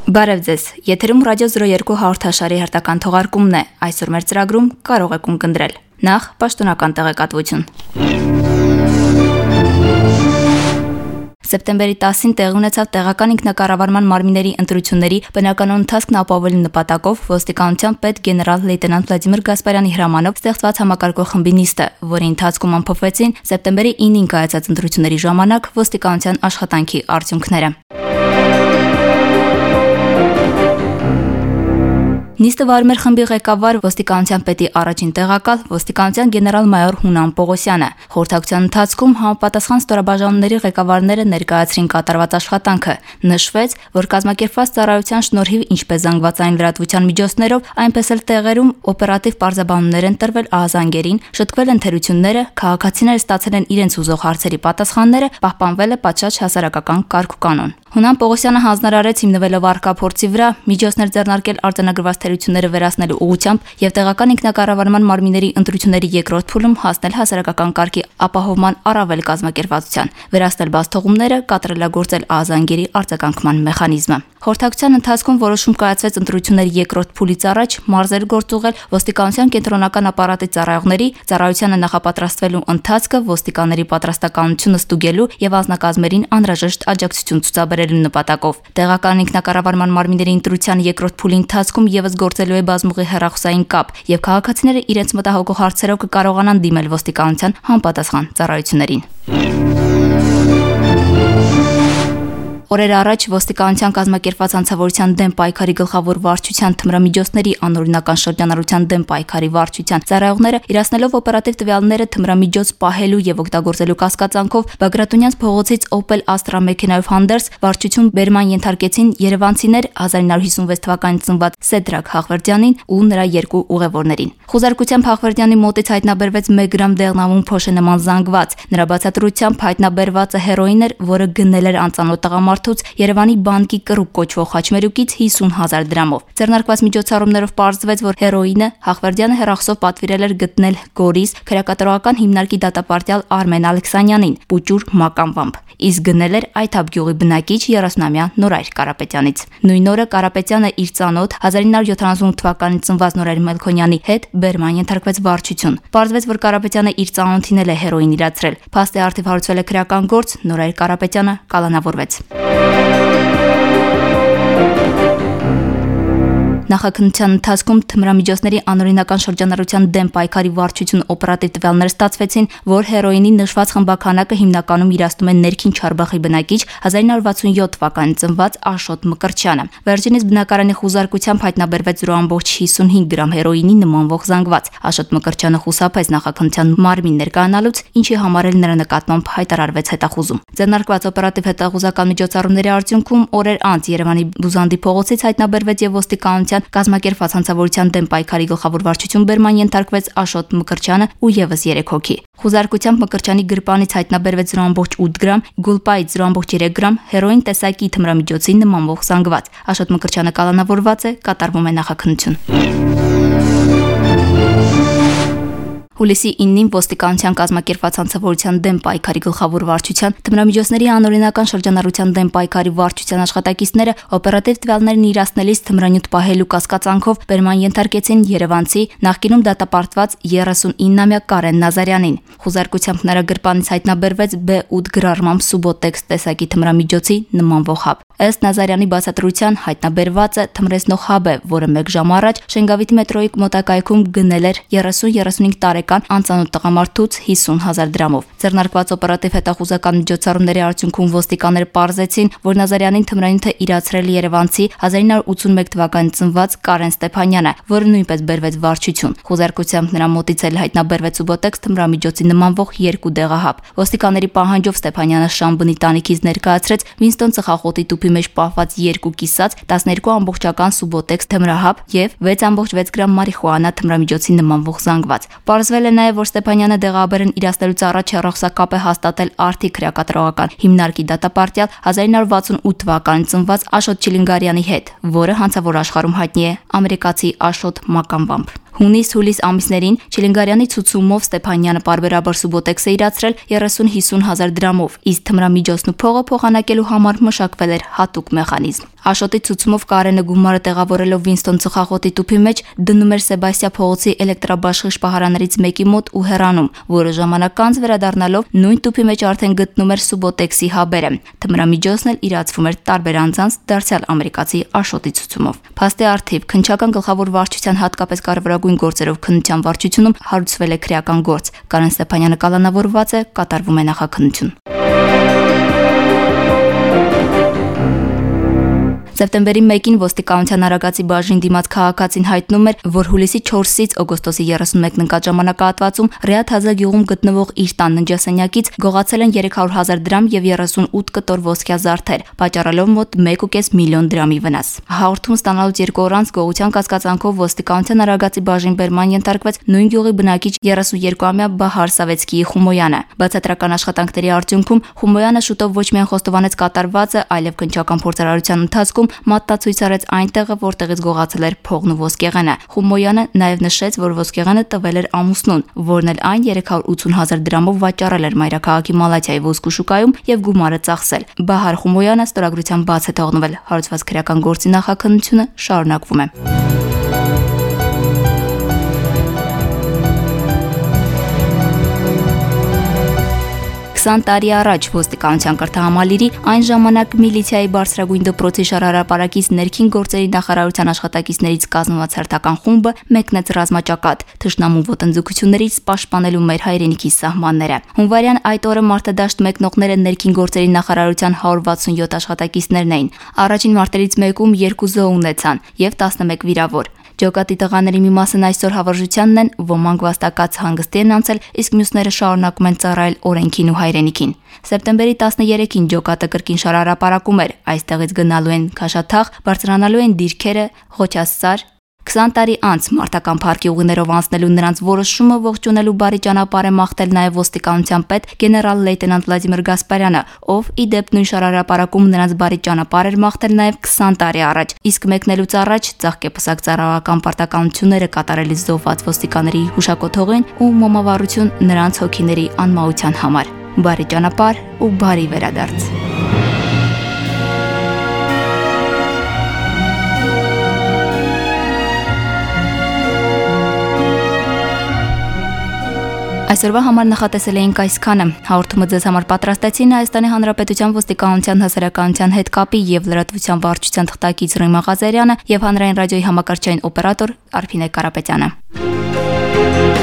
Բարև ձեզ, եթերում ռադիո 02 հաղորդաշարի հերթական թողարկումն է, այսօր մեր ծրագրում կարող եք ունկնդրել։ Նախ պաշտոնական տեղեկատվություն։ Սեպտեմբերի 10-ին տեղի ունեցավ տեղական ինքնակառավարման մարմինների ընտրությունների բնականոն ընթացքն ապահովելու նպատակով ոստիկանության պետ գեներալ լեյտենանտ Վլադիմիր Գասպարյանի հրամանով ստեղծված համակարգող խմբի նիստը, որի ընթացքում ամփոփվեցին սեպտեմբերի 9-ին կայացած ընտրությունների ժամանակ ոստիկանության աշխատանքի արդյունքները։ Նիստը վարում էր խմբի ղեկավար ոստիկանության պետի առաջին տեղակալ ոստիկանության գեներալ-մայոր Հունան Պողոսյանը։ Խորհրդակցության ընթացքում համապատասխան ստորաբաժանումների ղեկավարները ներկայացրին կատարված աշխատանքը։ Նշվեց, որ կազմակերպված ծառայության շնորհիվ ինչպես զանգվածային լրատվության միջոցներով, այնպես էլ տեղերում օպերատիվ պարզաբանումներ են տրվել ահազանգերին, շտկվել են թերությունները, քաղաքացիները ստացել են իրենց ուզող հարցերի պատասխանները, պահպանվել է պատշաճ հասարակական կարգուկանոն։ Հունան Պողոսյանը հանձնարարեց հիմնվելով առկա փորձի վրա միջոցներ ձեռնարկել արձանագրված թերությունները վերացնելու ուղղությամբ եւ տեղական ինքնակառավարման մարմինների ընտրությունների երկրորդ փուլում հասնել հասարակական կարգի ապահովման առավել կազմակերպվածության, վերացնել բացթողումները, կատարելագործել ահազանգերի արձագանքման մեխանիզմը։ Խորհրդակցության ընթացքում որոշում կայացվեց ընտրությունների երկրորդ փուլից առաջ մարզեր գործուղել ոստիկանության կենտրոնական ապարատի ծառայողների, ծառայությանը նախապատրաստվելու ընթացքը, ոստիկանների պատրաստականությունը ստուգելու եւ անձնակազմերին անհրաժեշտ աջակցություն ցուցաբերելու նպատակով։ Տեղական ինքնակառավարման մարմինների ընտրության երկրորդ փուլի ընթացքում եւս գործելու է բազմուղի հեռախոսային կապ եւ քաղաքացիները իրենց մտահոգող հարցերով կկարողանան դիմել ոստիկանության համապատասխան ծառայություններին։ Օրեր առաջ ոստիկանության կազմակերպված անձնավորության դեմ պայքարի գլխավոր վարչության թմրամիջոցների անօրինական շրջանառության դեմ պայքարի վարչության ծառայողները իրացնելով օպերատիվ տվյալները թմրամիջոց պահելու եւ օգտագործելու կասկածանքով Բագրատունյանց փողոցից Opel Astra մեքենայով հանդերձ վարչություն բերման ենթարկեցին երևանցիներ 1956 թվականին ծնված Սեդրակ Հաղվերդյանին ու նրա երկու ուղևորներին։ Խուզարկությամբ Հաղվերդյանի մոտից հայտնաբերվեց 1 գրամ դեղնավուն փոշե նման զանգված։ Նրա բացատրությամբ հայտնաբերվածը հերոին էր, որը գնել էր անծանոթ տղամարդուց Երևանի բանկի կռուկ կոչվող խաչմերուկից 50,000 դրամով։ Ձեռնարկված միջոցառումներով պարզվեց, որ հերոինը Հաղվերդյանը հեռախոսով պատվիրել էր գտնել Գորիս քրեակատարողական հիմնարկի դատապարտյալ Արմեն Ալեքսանյանին պուճուր մականվամբ, իսկ գնել էր Այթափ գյուղի բնակիչ 30-ամյա Նորայր Կարապետյանից։ Նույն օրը Կարապետյանը իր ծանոթ 1978 թվականին ծնված Նորայր Մելքոնյանի հետ բերման ենթարկվեց վարչություն։ Պարզվեց, որ Կարապետյանը իր ծանոթին էլ է հերոին իրացրել։ Փաստի առթիվ հարուցվել է քրեական գործ, Նորայր Կարապետյանը կալանավորվեց։ Նախաքննության ընթացքում թմրամիջոցների անօրինական շրջանառության դեմ պայքարի վարչություն օպերատիվ տվյալներ ստացվեցին, որ հերոինի նշված խմբականակը հիմնականում իրացնում են ներքին Չարբախի բնակիչ 1967 թվականին ծնված Աշոտ Մկրտչյանը։ Վերջինիս բնակարանի խուզարկությամբ հայտնաբերվեց 0.55 գրամ հերոինի նմանվող զանգված։ Աշոտ Մկրտչյանը խուսափեց նախաքննության մարմին ներկայանալուց, ինչի համար էլ նրա նկատմամբ հայտարարվեց հետախուզում։ Ձեռնարկված օպերատիվ հետախուզական միջոցառումների արդյունքում օրեր անց Երևանի Բուզանդի փողոցից հայտնաբերվեց եւ ոստիկանության կազմակերպված հանցավորության դեմ պայքարի գլխավոր վարչություն բերման ենթարկվեց Աշոտ Մկրտչյանը ու եւս 3 հոգի։ Խուզարկությամբ Մկրտչյանի գրպանից հայտնաբերվեց 0.8 գրամ, գուլպայից 0.3 գրամ հերոին տեսակի թմրամիջոցի նմանվող զանգված։ Աշոտ Մկրտչյանը կալանավորված է, կատարվում է նախաքննություն։ Հուլիսի 9-ին ոստիկանության կազմակերպված հանցավորության դեմ պայքարի գլխավոր վարչության թմրամիջոցների անօրինական շրջանառության դեմ պայքարի վարչության աշխատակիցները օպերատիվ տվյալներն իրացնելիս թմրանյութ պահելու կասկածանքով բերման ենթարկեցին երևանցի նախկինում դատապարտված 39-ամյա Կարեն Նազարյանին։ Խուզարկությամբ նրա գրպանից հայտնաբերվեց B8 գրառմամբ Subotex տեսակի թմրամիջոցի նմանվող հաբ։ Ըստ Նազարյանի բացատրության հայտնաբերվածը թմրեցնող հաբ է, որը 1 ժամ առաջ Շենգավիթ մետրոյի մոտակայքում գնել էր 30-35 տարեկան անծանոթ տղամարդուց 50,000 դրամով։ Ձեռնարկված օպերատիվ հետախուզական միջոցառումների արդյունքում ոստիկանները պարզեցին, որ Նազարյանին թմրանյութը իրացրել երևանցի 1981 թվականին ծնված Կարեն Ստեփանյանը, որը նույնպես բերվեց վարչություն։ Խուզարկությամբ նրա մոտից էլ հայտնաբերվեց Subotex թմրամիջոցի նմանվող 2 դեղահաբ։ Ոստիկանների պահանջով Ստեփանյանը Շամբնի տանիքից ներկայացրեց Վինստոն ծխախոտի տուփի մեջ պահված 2 կիսած 12-ամբողջական Subotex թմրահաբ եւ 6.6 գրամ մարիխուանա թմրամիջոցի նմանվող զանգված։ Պարզվել է նաեւ, որ Ստեփանյանը դեղաբերն իրացնելուց առաջ հեռախոսակապ է հաստատել Արթի քրեակատարողական հիմնարկի դատապարտյալ 1968 թվականին ծնված Աշոտ Չիլինգարյանի հետ, որը հանցավոր աշխարհում հայտնի է ամերիկացի Աշոտ Մականվամբ։ Հունիս-հուլիս ամիսներին Չիլինգարյանի ցուցումով Ստեփանյանը պարբերաբար Subotex է իրացրել 30-50,000 դրամով, իսկ թմրամիջոցն ու փողը փոխանակելու համար մշակվել էր հատուկ մեխանիզմ։ Աշոտի ցուցումով Կարենը գումարը տեղավորելով Վինստոն ծխախոտի տուփի մեջ դնում էր Սեբաստիա փողոցի էլեկտրաբաշխի շպահարաններից մեկի մոտ ու հեռանում, որը ժամանակ անց վերադառնալով նույն տուփի մեջ արդեն գտնում էր Սուբոտեքսի հաբերը։ Թմրամիջոցն էլ իրացվում էր տարբեր անձանց դարձյալ ամերիկացի Աշոտի ցուցումով։ Փաստի առթիվ քննչական գլխավոր վարչության հատկապես կարևորագույն գործերով քննության վարչությունում հարուցվել է քրեական գործ։ Կարեն Ստեփանյանը կալանավորված է, կատարվում է նախաքննություն։ Սեպտեմբերի 1-ին ոստիկանության Արագածի բաժին դիմաց քաղաքացին հայտնում էր, որ հուլիսի 4-ից օգոստոսի 31-ն ընկած ժամանակահատվածում Ռիաթ Հազա գյուղում գտնվող իր տան ննջասենյակից գողացել են 300,000 դրամ եւ 38 կտոր ոսկյա զարդեր, պատճառելով մոտ 1.5 միլիոն դրամի վնաս։ Հաղորդում ստանալուց 2 օր անց գողության կասկածանքով ոստիկանության Արագածի բաժին բերման ենթարկվեց նույն գյուղի բնակիչ 32-ամյա Բահար Սավեցկիի Խումոյանը։ Բացատրական աշխատանքների արդյունքում Խումոյանը շուտով ոչ միայն խոստովանեց կատարվածը, այլև քննչական փորձարարության ընթացքում մատնացույց արեց այն տեղը, որտեղից գողացել էր փողն ու ոսկեղենը։ Խումոյանը նաև նշեց, որ ոսկեղենը տվել էր ամուսնուն, որն էլ այն 380,000 դրամով վաճառել էր մայրաքաղաքի Մալաթիայի ոսկու շուկայում եւ գումարը ծախսել։ Բահար Խումոյանը ստորագրության բաց է թողնվել։ Հարուցված քրեական գործի նախաքննությունը շարունակվում է։ Տարի առաջ ոստիկանության կրթահամալիրի այն ժամանակ միլիցիայի բարձրագույն դպրոցի շարհարապարակից ներքին գործերի նախարարության աշխատակիցներից կազմված հերթական խումբը մեկնեց ռազմաճակատ, թշնամու ոտնձգություններից պաշտպանելու մեր հայրենիքի սահմանները։ Հունվարյան այդ օրը մարտադաշտ մեկնողները ներքին գործերի նախարարության 167 աշխատակիցներն էին։ Առաջին մարտերից մեկում 2 զոհ ունեցան եւ 11 վիրավոր։ Ջոկատի տղաների մի մասն այսօր հավերժությանն են, ոմանք վաստակած հանգստի են անցել, իսկ մյուսները շարունակում են ծառայել օրենքին ու հայրենիքին։ Սեպտեմբերի 13-ին ջոկատը կրկին շարհարապարակում էր, այստեղից գնալու են Քաշաթաղ, բարձրանալու են Դիրքերը, Ղոչասար։ 20 տարի անց մարտական փառքի ուղիներով անցնելու նրանց որոշումը ողջունելու բարի ճանապարհ է մաղթել նաև ոստիկանության պետ գեներալ լեյտենանտ Վլադիմիր Գասպարյանը, ով ի դեպ նույն շարհարապարակում նրանց բարի ճանապարհ էր մաղթել նաև 20 տարի առաջ, իսկ մեկնելուց առաջ ծաղկեպսակ ծառայական պարտականությունները կատարելիս զոհված ոստիկանների հուշակոթողին ու մոմավառություն նրանց հոգիների անմահության համար։ Բարի ճանապարհ ու բարի վերադարձ։ Այսօրվա համար նախատեսել էինք այսքանը։ Հաղորդումը ձեզ համար պատրաստեցին Հայաստանի Հանրապետության ոստիկանության հասարակայնության հետ կապի եւ լրատվության վարչության թղթակից Ռոյմա Ղազարյանը եւ հանրային ռադիոյի համակարգչային օպերատոր Արփինե Կարապետյանը։